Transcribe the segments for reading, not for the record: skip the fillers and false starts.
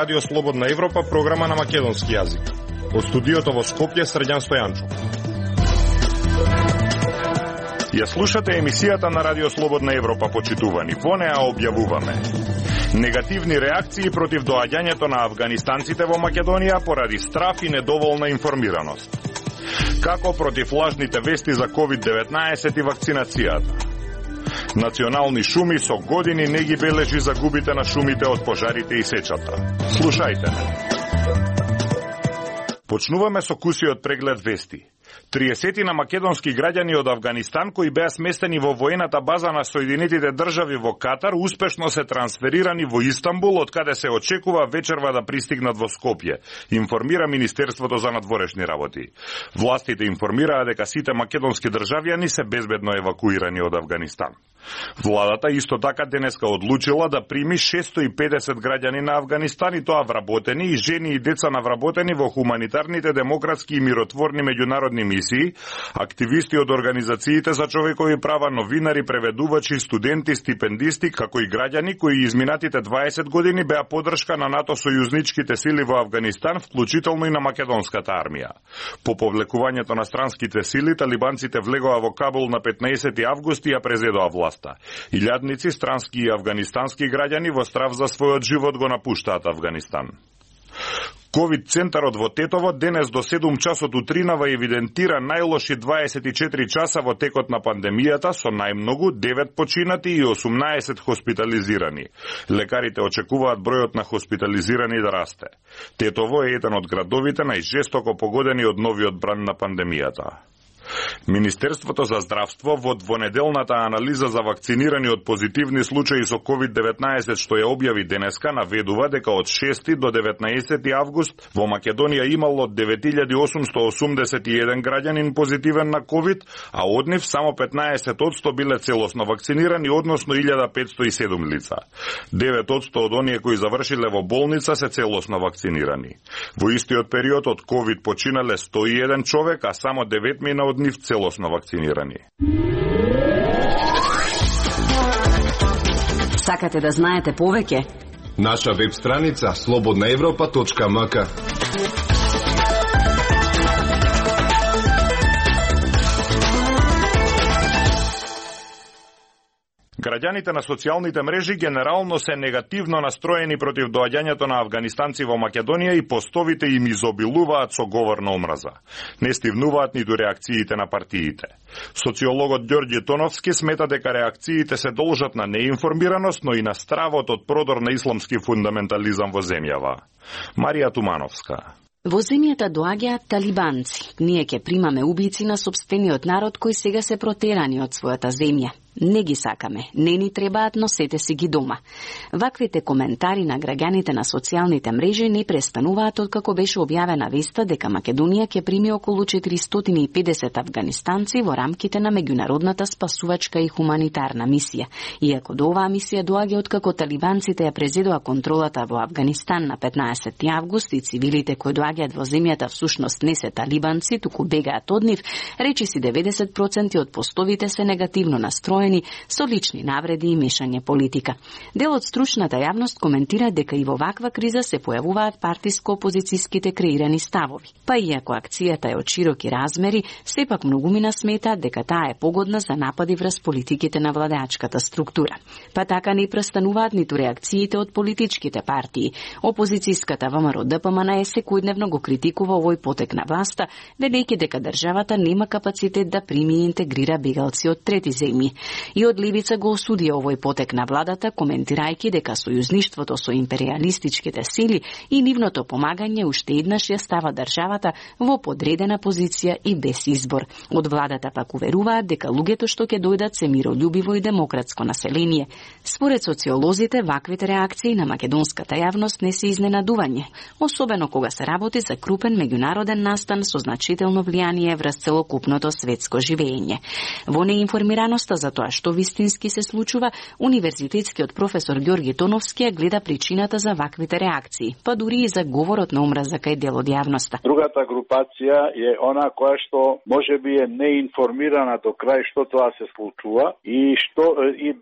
Радио Слободна Европа, програма на македонски јазик. Од студиото во Скопје, Срđan Стојанчов. Ја слушате емисијата на Радио Слободна Европа, почитувани. Во неа објавуваме негативни реакции против доаѓањето на афганистанците во Македонија поради страф и недоволна информираност. Како против лажните вести за COVID-19 и вакцинацијата. Национални шуми со години не ги бележи загубите на шумите од пожарите и сечата. Слушајте ме. Почнуваме со кусиот преглед вести. 30 на македонски граѓани од Авганистан кои беа сместени во воената база на Соединетите држави во Катар успешно се трансферирани во Истанбул, од каде се очекува вечерва да пристигнат во Скопје, информира Министерството за надворешни работи. Властите информираа дека сите македонски државјани се безбедно евакуирани од Авганистан. Владата исто така денеска одлучила да прими 650 граѓани на Авганистан, и тоа вработени и жени и деца на вработени во хуманитарните, демократски и миротворни меѓународни мисии, активисти од организациите за човекови права, новинари, преведувачи, студенти, стипендисти, како и граѓани кои изминатите 20 години беа поддршка на НАТО сојузничките сили во Авганистан, вклучително и на македонската армија. По повлекувањето на странските сили, талибанците влегоа во Кабул на 15 август и ја презедоа власта. Илјадници странски и афганистански граѓани во страв за својот живот го напуштаат Авганистан. Ковид центарот во Тетово денес до 7 часот утринава евидентира најлоши 24 часа во текот на пандемијата, со најмногу 9 починати и 18 хоспитализирани. Лекарите очекуваат бројот на хоспитализирани да расте. Тетово е еден од градовите најжестоко погодени од новиот бран на пандемијата. Министерството за здравство во двонеделната анализа за вакцинирани од позитивни случаи со COVID-19 што ја објави денеска наведува дека од 6 до 19 август во Македонија имало 9881 граѓанин позитивен на COVID, а од нив само 15% биле целосно вакцинирани, односно 1507 лица. 9% од оние кои завршиле во болница се целосно вакцинирани. Во истиот период од COVID починале 101 човек, а само 9 од нив целосно вакцинирани. Сакате да знаете повеќе? Наша веб страница slobodnaevropa.mk. Граѓаните на социјалните мрежи генерално се негативно настроени против доаѓањето на афганистанци во Македонија и постовите им изобилуваат со говор на омраза. Не стивнуваат ниту реакциите на партиите. Социологот Ѓорѓе Тоновски смета дека реакциите се должат на неинформираност, но и на стравот од продор на исламски фундаментализам во земјава. Марија Тумановска. Во земјата доаѓаат талибанци. Ние ќе примаме убици на сопствениот народ кои сега се протерани од својата земја. Не ги сакаме, не ни требаат, носете си ги дома. Ваквите коментари на граѓаните на социјалните мрежи не престануваат откако беше објавена веста дека Македонија ќе прими околу 450 афганистанци во рамките на меѓународната спасувачка и хуманитарна мисија. Иако до оваа мисија доаѓа откако талибанците ја презедоа контролата во Авганистан на 15 август и цивилите кои доаѓаат во земјата всушност не се талибанци, туку бегаат од нив, речиси 90% од постовите се негативно настроени со лични навреди и мешање политика. Дел од стручната јавност коментира дека и во ваква криза се појавуваат партиско-опозицијските креирани ставови. Па иако акцијата е од широки размери, сепак многумина сметаат дека таа е погодна за напади врз политиките на владеачката структура. Па така не престануваат ниту реакциите од политичките партии. Опозицијската ВМРО ДПМН секојдневно го критикува овој потек на власта, велејќи дека државата нема капацитет да прими и интегрира бегалци од трети земји. И од левица го осудија овој потек на владата, коментирајќи дека сојузништвото со империалистичките сили и нивното помагање уште еднаш ја става државата во подредена позиција и без избор. Од владата пак уверуваат дека луѓето што ќе дојдат се миролюбиво и демократско население. Според социолозите, ваквите реакции на македонската јавност не се изненадување, особено кога се работи за крупен меѓународен настан со значително влијание врз целокупното светско живење. Во неинформираноста за тоа тоа што вистински се случува, универзитетскиот професор Ѓорги Тоновски ја гледа причината за ваквите реакции, па дури и за говорот на омраза кај дел од јавноста. Другата групација е она која што можеби е неинформирана до крај што тоа се случува и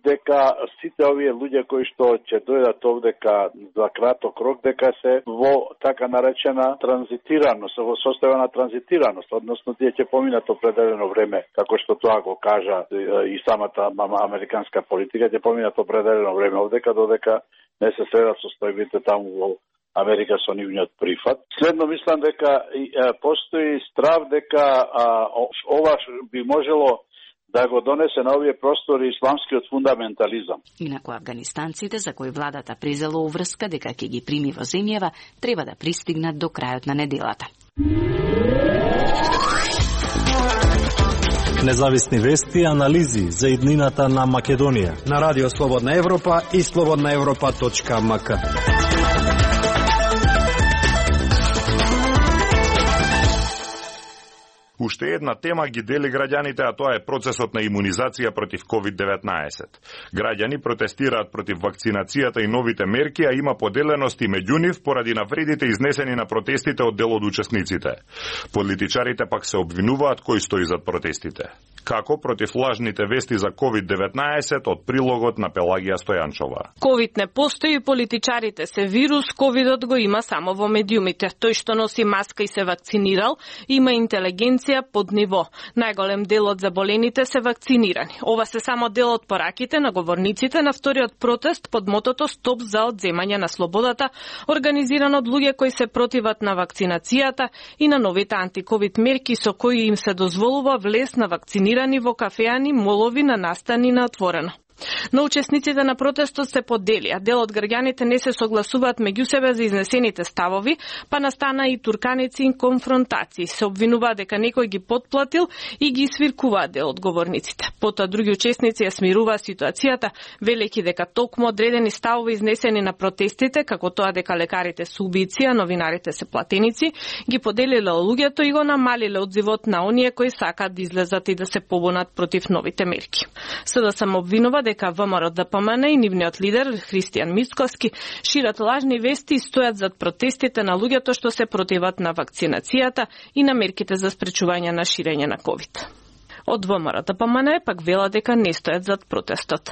дека сите овие луѓе кои што ќе дојдат овдека за краток рок, дека се во така наречена транзитираност, во состојба на транзитираност, односно тие ќе поминат определено време, како што тоа го кажа и самата американска политика, ќе поминат определено време овдека додека не се средат состојбите таму во Америка со нивниот прифат. Следно мислам дека постои страв дека ова би можело да го донесе на овие простори исламскиот фундаментализам. Инаку афганистанците, за кои владата презела уврска дека ќе ги прими во земјава, треба да пристигнат до крајот на неделата. Независни вести и анализи за иднината на Македонија на Радио Слободна Европа и slobodnaevropa.mk. Уште една тема ги дели граѓаните, а тоа е процесот на имунизација против COVID-19. Граѓани протестираат против вакцинацијата и новите мерки, а има поделености меѓу нив поради навредите изнесени на протестите од дел од учесниците. Политичарите пак се обвинуваат кој стои зад протестите. Како против лажните вести за COVID-19 од прилогот на Пелагија Стојанчова. COVID не постои, политичарите се вирус, ковидот го има само во медиумите. Тој што носи маска и се вакцинирал, има интелигенција под ниво. Најголем дел од заболените се вакцинирани. Ова се само дел од пораките на говорниците на вториот протест под мотото Стоп за одземање на слободата, организиран од луѓе кои се противат на вакцинацијата и на новите антиковид мерки со кои им се дозволува влез на вакцинирани во кафеани, молови, на настани на отворено. Но учесниците на протестот се поделија. Дел од граѓаните не се согласуваат меѓу себе за изнесените ставови, па настана и турканици и конфронтации. Се обвинуваат дека некој ги потплатил и ги свиркуваат дел од говорниците. Потоа други учесници ја смируваа ситуацијата, велејќи дека токму одредени ставови изнесени на протестите, како тоа дека лекарите се убици, а новинарите се платеници, ги поделиле луѓето и го намалиле одзивот на оние кои сакаат да излезат и да се побунат против новите мерки. СДСМ обвинува дека ВМРО ДПМН и нивниот лидер Христијан Мицкоски шират лажни вести и стојат зад протестите на луѓето што се противат на вакцинацијата и на мерките за спречување на ширење на ковид. Од ВМРО ДПМН пак вела дека не стојат зад протестот.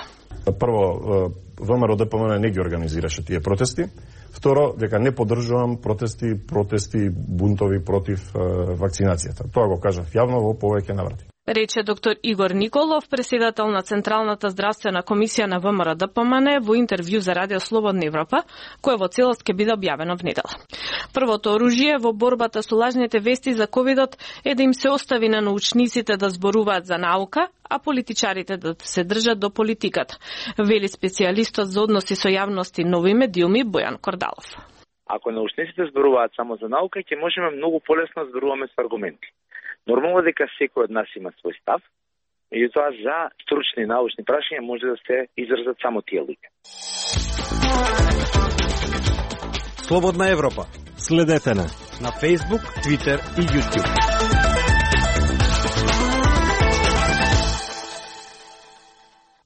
Прво, ВМРО ДПМН не ги организираше тие протести. Второ, дека не поддржувам протести, бунтови против вакцинацијата. Тоа го кажав јавно во повеќе наврати. Рече доктор Игор Николов, председател на Централната здравствена комисија на ВМРО ДПМН во интервју за Радио Слободна Европа, кое во целост ќе биде објавено внедела. Првото оружје во борбата со лажните вести за ковидот е да им се остави на научниците да зборуваат за наука, а политичарите да се држат до политиката, вели специјалистот за односи со јавности нови медиуми Бојан Кордалов. Ако научниците зборуваат само за наука, ќе можеме многу полесно да зборуваме со аргументи. Нормално дека секој од нас има свој став, меѓутоа за стручни научни прашања може да се изразат само тие луѓе. Слободна Европа. Следете на Facebook, Twitter и YouTube.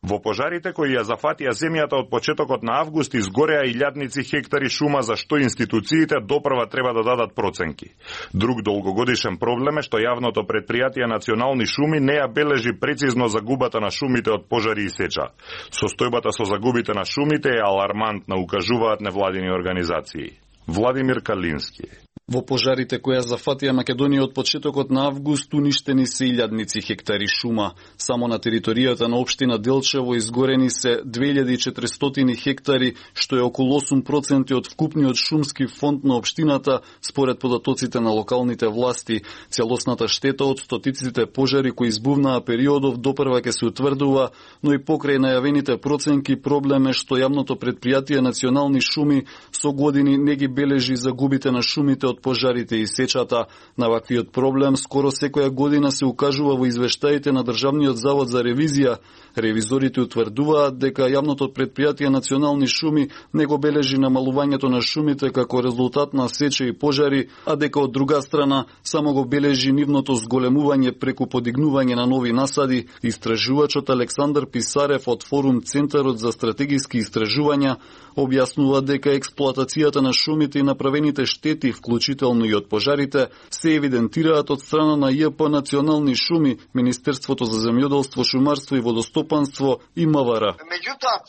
Во пожарите кои ја зафатија земјата од почетокот на август изгореа илјадници хектари шума за што институциите допрва треба да дадат проценки. Друг долгогодишен проблем е што јавното претпријатие Национални шуми не ја бележи прецизно загубата на шумите од пожари и сеча. Состојбата со загубите на шумите е алармантна, укажуваат невладини организации. Владимир Калински. Во пожарите кои ја зафатија Македонија од почетокот на август уништени се илјадници хектари шума. Само на територијата на општина Делчево изгорени се 2400 хектари, што е околу 8% од вкупниот шумски фонд на општината, според податоците на локалните власти. Целосната штета од стотиците пожари кои избувнаа периодов допрва ќе се утврдува, но и покрај најавените проценки проблем е што јавното претпријатие Национални шуми со години не ги бележи загубите на шумите од пожарите и сечата. На ваквиот проблем скоро секоја година се укажува во извештаите на Државниот завод за ревизија. Ревизорите утврдуваат дека јавното претпријатие Национални шуми не го бележи намалувањето на шумите како резултат на сеча и пожари, а дека од друга страна само го бележи нивното зголемување преку подигнување на нови насади. Истражувачот Александар Писарев од Форум Центарот за стратегиски истражувања објаснува дека експлоатацијата на шумите и направените штети, вклучително и од пожарите, се евидентираат од страна на ЈП Национални шуми, Министерството за земјоделство, шумарство и водостопанство и МВР. Меѓутоа,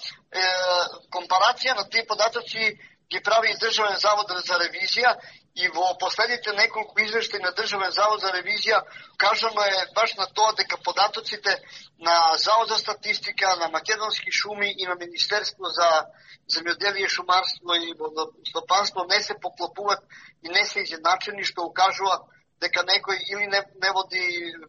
компарација на тие податоци ги прави и Државен завод за ревизија и во последните неколку извештаи на Државен завод за ревизија кажано е баш на тоа дека податоците на Завод за статистика, на Македонски шуми и на Министерство за земјоделие, шумарство и водостопанство не се поклопуваат и не се изедначени, што укажува дека некој или не води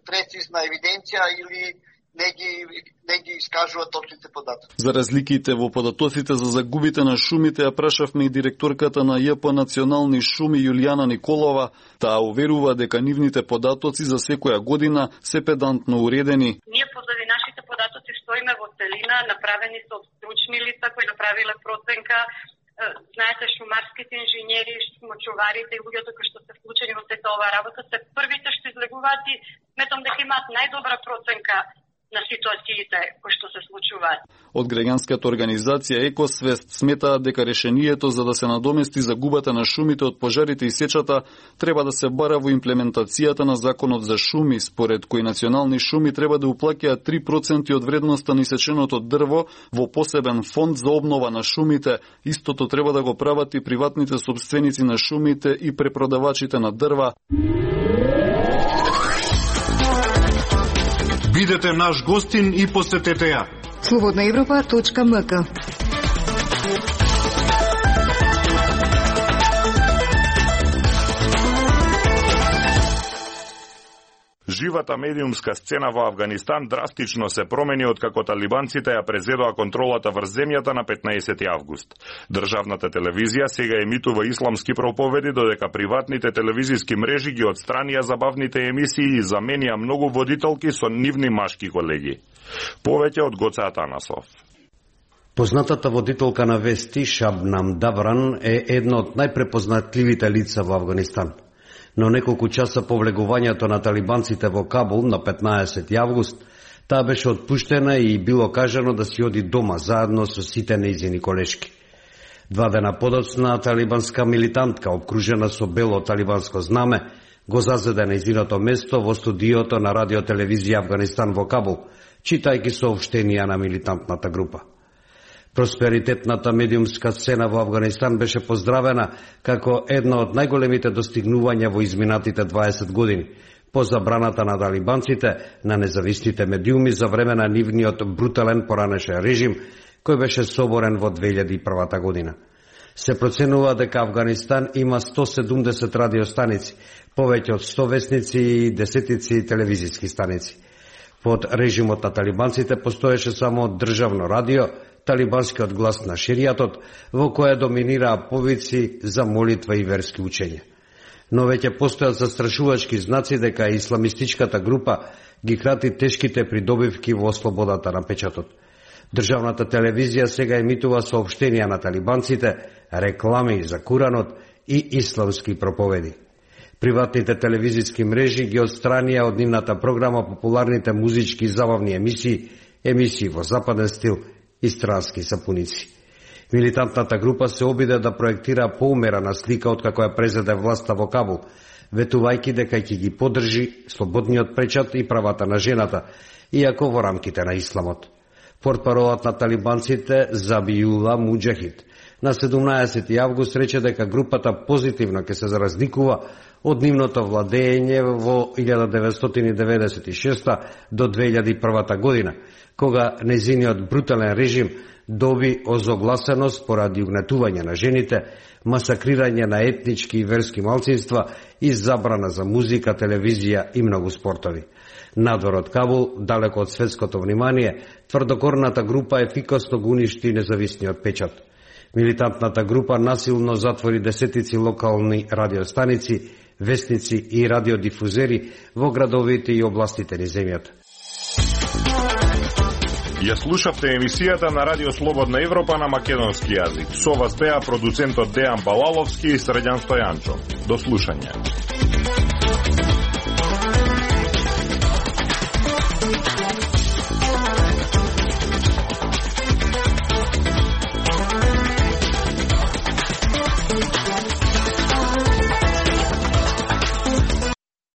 прецизна евиденција или не ги искажува точните податоци. За разликите во податоците за загубите на шумите ја прашавме и директорката на ЈП Национални шуми Јулијана Николова. Таа уверува дека нивните податоци за секоја година се педантно уредени. Ние позади нашите податоци стоиме во целина, направени со стручни лица кои направиле проценка. Знаете, шумарските инженери, мочуварите и луѓето кои што се вклучени во сета оваа работа се првите што излегуваат и сметам дека имаат најдобра проценка на ситуациите кои што се случуваат. Од граѓанската организација Екосвест сметаат дека решението за да се надомести загубата на шумите од пожарите и сечата треба да се бара во имплементацијата на законот за шуми, според кој Национални шуми треба да уплаќаат 3% од вредноста на исеченото дрво во посебен фонд за обнова на шумите. Истото треба да го прават и приватните собственици на шумите и препродавачите на дрва. Бидете наш гостин и посетете ја. Slobodnaevropa.mk. Живата медиумска сцена во Авганистан драстично се промени откако талибанците ја презедоа контролата врз земјата на 15 август. Државната телевизија сега емитува исламски проповеди, додека приватните телевизиски мрежи ги отстранија забавните емисии и заменија многу водителки со нивни машки колеги. Повеќе од Гоце Атанасов. Познатата водителка на вести Шабнам Давран е една од најпрепознатливите лица во Авганистан. Но неколку часа по влегувањето на талибанците во Кабул на 15 август, таа беше отпуштена и било кажано да си оди дома заедно со сите нејзини колешки. 2 дена подоцна талибанска милитантка, обкружена со бело талибанско знаме, го зазеде нејзиното место во студиото на радиотелевизија Авганистан во Кабул, читајќи соопштенија на милитантната група. Просперитетната медиумска сцена во Авганистан беше поздравена како една од најголемите достигнувања во изминатите 20 години, по забраната на талибанците на независните медиуми за време на нивниот брутален поранешен режим, кој беше соборен во 2001 година. Се проценува дека Авганистан има 170 радиостаници, повеќе од 100 весници и десетици телевизиски станици. Под режимот на талибанците постоеше само државно радио, талибанскиот глас на шеријатот, во кое доминираа повици за молитва и верски учења. Но веќе постојат застрашувачки знаци дека исламистичката група ги крати тешките придобивки во слободата на печатот. Државната телевизија сега емитува соопштенија на талибанците, реклами за Куранот и исламски проповеди. Приватните телевизиски мрежи ги отстранија од нивната програма популарните музички и забавни емисии во западен стил и странски сапуници. Милитантната група се обиде да проектира поумерена слика откако ја презеде власта во Кабул, ветувајќи дека ќе ги поддржи слободниот печат и правата на жената, иако во рамките на исламот. Портпаролот на талибанците Забиула Муџахид на 17 август рече дека групата позитивно ќе се разликува од нивното владење во 1996 до 2001 година, кога незиниот брутален режим доби озогласеност поради угнетување на жените, масакрирање на етнички и верски малцинства и забрана за музика, телевизија и многу спортови. Надвор од Кабул, далеко од светското внимание, тврдокорната група ефикасно го уништи независниот печат. Милитантната група насилно затвори десетици локални радиостаници, вестници и радиодифузери во градовите и областите низ земјата. Ја слушавте емисијата на Радио Слободна Европа на македонски јазик. Со вас беа продуцентот Дејан Балаловски и Средјан Стојанчо. До слушање.